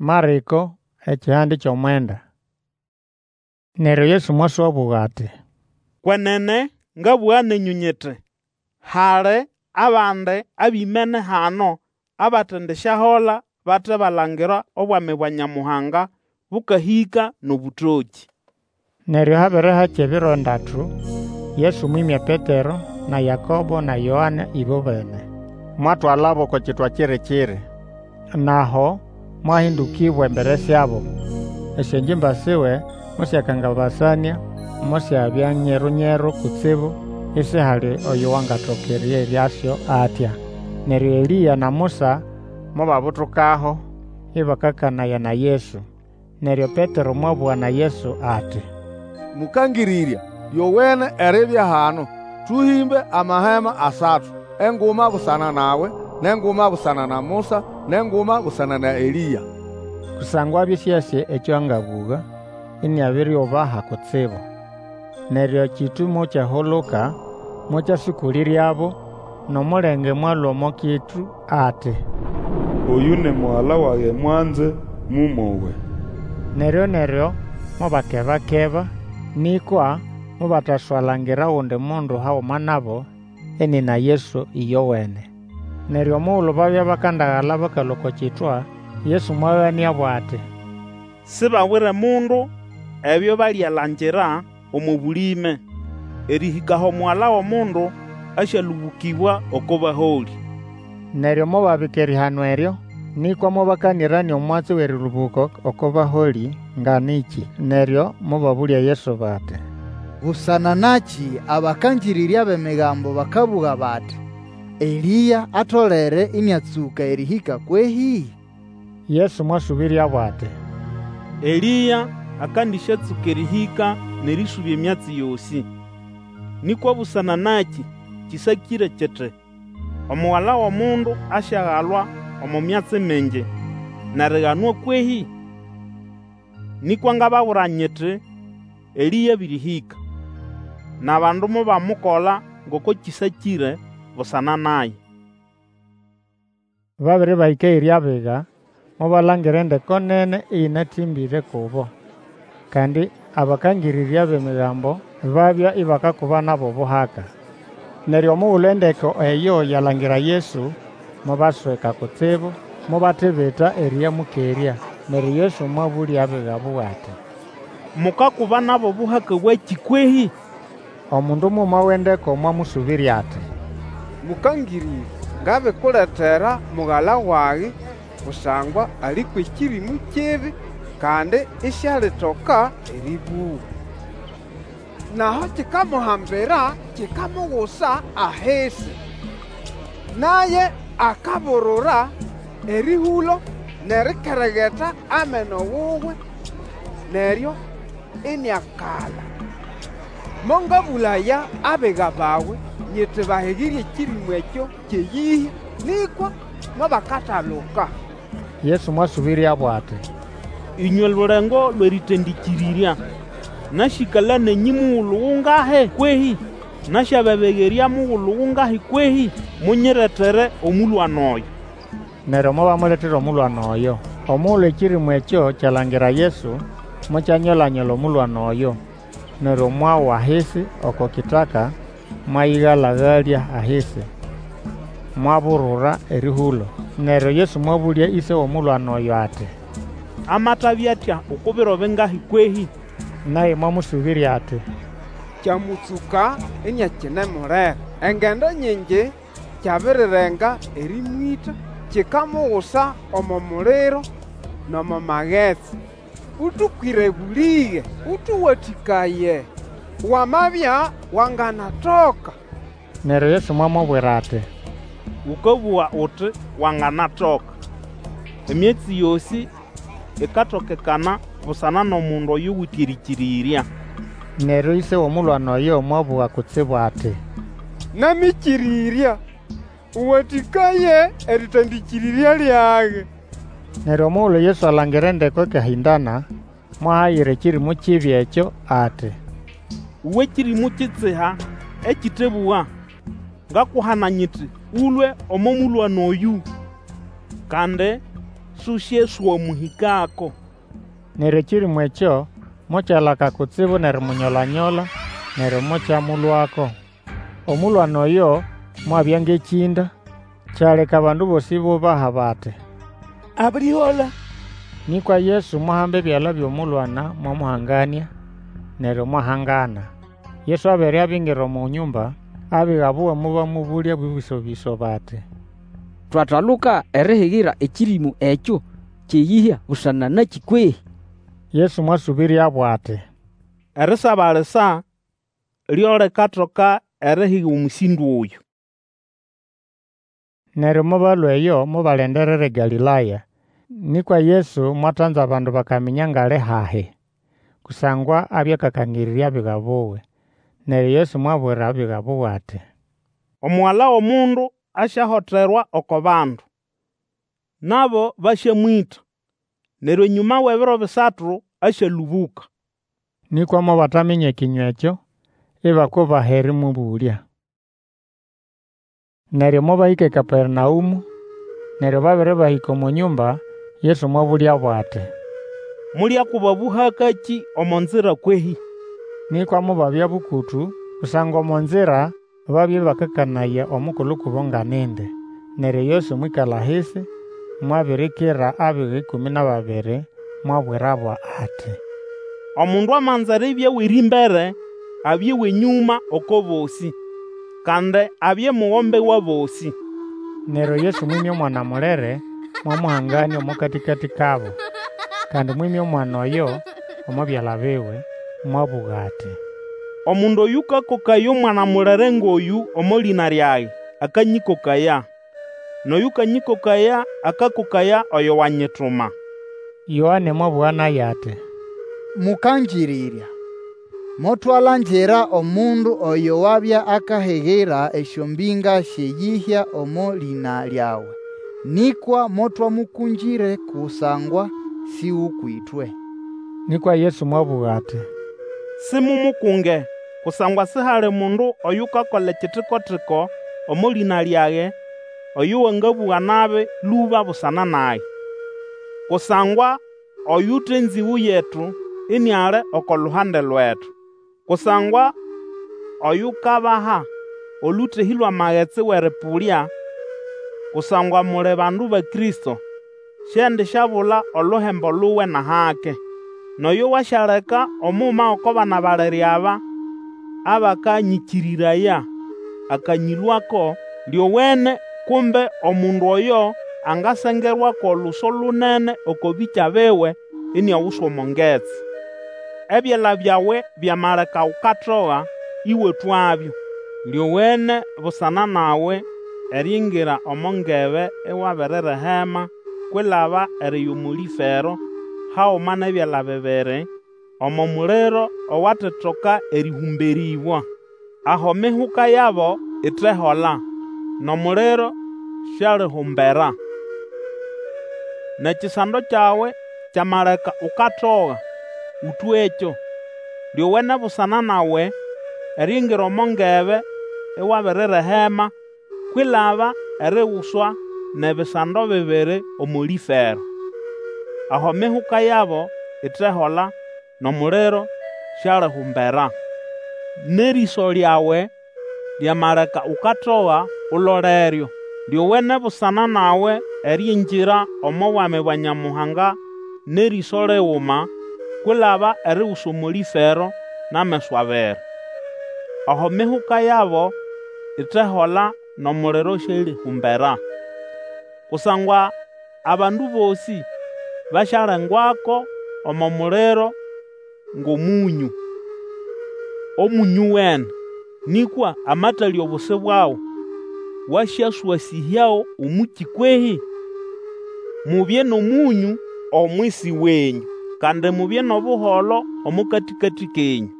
Marĩko ekihande ky'omwenda. Neryo Yesu mwaswabũga ati, Kwenene ngabũga nenyũ nyiti, Hali abandi abĩmene hano abatendisyahola bate balangira Obwami bwa Nyamuhanga bũkahĩka n'obũtokĩ. Neryo habere hakya ebiro ndatu, Yesu mwĩmya Petero, na Yakobo na Yoane ĩbobene, mwatwalabo oko kitwa kiri-kiri. N'aho mwahĩndũkĩbwa embere syabo. Esyongimba siwe mosyakangabasanĩa, mosyabya nyeru-nyeru kutsibu, isihali oyo wangatoka erĩeryasyo atya. Neryo Elĩa na Musa mobabutukaho, ĩbakakanaya na Yesu. Neryo Petero mwabũga na Yesu ati, Mũkangĩrĩrya, lyowene eribya hano. Tũhĩmbe amahema asatu, enguma busana nawe, n'enguma busana na Musa, n'enguma busana na Elĩa. Kusangwa abya ĩsĩasĩ ekyo angabũga, iniabiriubaha kutsibu. Neryo ekĩtũ mokyahuluka, mokyasũkũlĩryabo, n'omulenge mwalũa omo kitu ati, Oyũ ni Mugala wage mwanze, mũmowe. Neryo-neryo mobakeba-keba, nĩkwa mobataswalangira ogundi mundu haguma nabo, inina Yesu ĩyowene. Neryo omugulu babya bakandagala bakalũa oko kitwa, Yesu mwaganĩabo ati, Sibabwire mundu ebyo balyalangira omo bũlĩme, erĩhĩka aho Omugala w'Omundu asyalũbũkĩbwa oko baholĩ. Neryo mobabika erihano eryo, nĩkwa mobakanĩranĩa omwatsi w'erĩlũbũka oko baholĩ nga nĩkĩ. Neryo mobabũlya Yesu bati, Busana nakĩ abakangĩrĩrya b'Emigambo bakabũga bati, Elĩa atolere ĩnĩatsũka erĩhĩka kwehĩ? Yesu mwasũbĩryabo ati, Elĩa akandĩsyatsũka erĩhĩka n'erĩsũbya emyatsi yosĩ. Nĩkwa busana nakĩ kĩsakĩre kiti, Omugala w'Omundu asyagalwa omo myatsi mingi n'eriganwa kwehĩ? Nĩkwa ngababwira nyiti, Elĩa abĩrĩhĩka, n'abandu mobamukola ngoko kĩsakĩre busana naye. Babere bahĩka eyiri abiga, mobalangira endeko nene ĩyĩnatĩmbĩre kubo. Kandi abakangĩrĩrya b'Emigambo babya ibakakuba nabo obuhaka. Neryo omugulu endeko eyo yalangira Yesu, mobasweka kutsibu, mobatibita erĩyamũkerya. Neryo Yesu mwabũlya abiga buwe ati, Mukakuba nabo obuhaka bwakĩ kwehĩ? Omundu muguma w'endeko mwamũsũbĩrya ati, Mũkangĩrĩrya, ngabikuletera mugala wage, kusangwa ali kw'ekĩrĩmũ kibi, kandi isialitoka erĩbũga. N'aho kikamuhambira kikamugusa ahisi, naye akaburura erĩhũlo n'erikeregeta ameno wuwe, neryo iniakala. Mongabũlaya abiga bawe nyiti bahigire ekĩrĩmũ ekyo ky'eyĩhya, nĩkwa mobakataluka. Yesu mwasũbĩryabo ati, Ĩnywe lulengo lw'erĩtandĩkĩrĩrya, nasyĩkala nenyũ mugulu gungahi kwehĩ? Nasyababegerya mugulu gungahi kwehĩ? Munyiretere omũlwana oyo. Neryo mobamuletera omũlwana oyo. Omugulu ekĩrĩmũ ekyo kyalangira Yesu, mokyanyola-nyola omũlwana oyo, neryo mwawa ahisi oko kitaka, mwayĩgala-galya ahisi, mwaburura erĩhũlo. Neryo Yesu mwabũlya ĩse w'omulwana oyo ati, Amatabya atya oko biro bingahi kwehĩ? Naye mwamũsũbĩrya ati, Kyamũtsũka iniakinemulera. Engendo nyingi kyabirirenga erĩmwĩta, kikamugusa omo muliro n'omo magetsi. Ũtũkwĩre bũlĩge, ũtũwatĩkaye, wamabya wanganatoka. Neryo Yesu mwamubwira ati, Ũkabũga uti, Wanganatoka. Emyatsi yosĩ ikatokekana busana n'omundu oyuwite erĩkĩrĩrya. Neryo ĩse w'omulwana oyo mwabũga kutsibu ati, Namĩkĩrĩrya, ũwatĩkaye erĩtandĩkĩrĩrya lyage. Neryo omugulu Yesu alangira endeko ikahĩndana, mwahayira ekĩrĩmũ kibi ekyo ati, Uwe kĩrĩmũ kitsiha ekĩtebũga, ngakuhana nyiti, Ũlũe omo mũlwana oyũ! Kandi Susyeswamũhĩkako. Neryo ekĩrĩmũ ekyo mokyalaka kutsibu n'erimunyola-nyola, neryo mokyamũlũako. Omũlwana oyo mwabya ng'ekĩnda, kyaleka abandu bosĩ ibubaha bati, Abirihola. Nĩkwa Yesu mwahamba ebyala by'omũlwana mwamuhanganĩa, neryo mwahangana. Yesu abere abingira omo nyũmba, abiga buwe mobamũbũlya bũbĩso-bĩso bati, Twataluka erihigira ekĩrĩmũ ekyo ky'eyĩhya busana nakĩ kwehĩ? Yesu mwasũbĩryabo ati, Erisabalisa lyo likatoka erihiga omũsĩndo oyũ. Neryo mobalũa eyo mobalindirira eGalĩlaya. Nĩkwa Yesu mwatanza abandu bakaminya ng'ali hahi, kusangwa abya akakangĩrĩrya abiga buwe. Neryo Yesu mwabwira abiga buwe ati, Omugala w'Omundu asyahoterwa oko bandu, nabo basyamwĩta, neryo enyũma w'ebiro bisatu asyalũbũka. Nĩkwa mobataminya ekĩnywa ekyo, ibakubaha erĩmũbũlya. Neryo mobahĩka eKapernaũmũ. Neryo babere bahĩka omo nyũmba, Yesu mwabũlyabo ati, Molyakuba bũhakakĩ omo nzira kwehĩ? Nĩkwa mobabya bũkũtũ, kusangwa omo nzira babya ĩbakakanaya omukulu kubo nga nindi. Neryo Yesu mwĩkala ahisi, mwabirikira abiga ĩkũmĩ n'ababiri, mwabwirabo ati, Omundu amanza eribya w'erĩmbere, abye w'enyũma oko bosĩ, kandi abye mugombe w'abosĩ. Neryo Yesu mwĩmya omwana mulere, mwamuhanganĩa omo katĩkatĩ kabo. Kandi mwĩmya omwana oyo omo byala biwe, mwabũga ati, Omundu oyũkakokaya omwana mulere ng'oyũ omo lĩna lyage, akanyĩkokaya, n'oyũkanyĩkokaya akakokaya oyo wanyituma. Yoane mwabũga naye ati, Mũkangĩrĩrya, motwalangira omundu oyo wabya akahigira esyombĩnga sy'eyĩhya omo lĩna lyawe, nĩkwa motwamũkũngĩre kusangwa si w'ũkw'ĩtwe. Nĩkwa Yesu mwabũga ati, Simumukunge, kusangwa sihali mundu oyukakola ekitiko-tiko omo lĩna lyage oyo wangabũga nabi lũba busana nage. Kusangwa oyute enzĩgũ yetu iniali oko luhande lwetu. Kusangwa oyukabaha olũtehĩ lw'amagetsi w'erĩpũlya, kusangwa muli bandu ba Kristo, siendisyabula oluhembo luwe n'ahake. N'oyo wasyaleka omuguma g'oko bana balere aba abakanyĩkĩrĩraya akanyĩlũako, lyowene kumbe omundu oyo angasengerwa kw'oluso lunene oko bĩkya biwe iniaguswa omo ngetsi. Ebyala byawe byamaleka ukatoga, ĩwatwabyo. Lyowene busana nawe eriingira omo ngebe iwabiririhema kwilaba eriya omo lĩfero haguma n'ebyala bibiri, omo muliro owatetoka erĩhũmberĩbwa. Aho emihuka yabo itehola, n'omuliro siulihumbera. N'ekisando kyawe kyamaleka ukatoga, ũtwekyo. Lyowene busana nawe eriingira omo ngebe iwabiririhema kwilaba eriguswa n'ebisando bibiri omo lĩfero. Aho emihuka yabo itehola, n'omuliro siulihumbera. N'erĩso lyawe lyamaleka ukatoga, uloleryo. Lyowene busana nawe eriingira omo Bwami bwa Nyamuhanga n'erĩso liguma, kwilaba eriguswa omo lĩfero n'ameso abiri. Aho emihuka yabo itehola, n'omuliro siulihumbera. Kusangwa abandu bosĩ basyalengwako omo muliro ng'omũnyũ. Omũnyũ uwene, nĩkwa amatalya obusi bwago, wasyaswasĩhyago omũkĩ kwehĩ? Mubye n'omũnyũ omwisi wenyũ, kandi mubye n'obuholo omo katĩkatĩ kenyũ.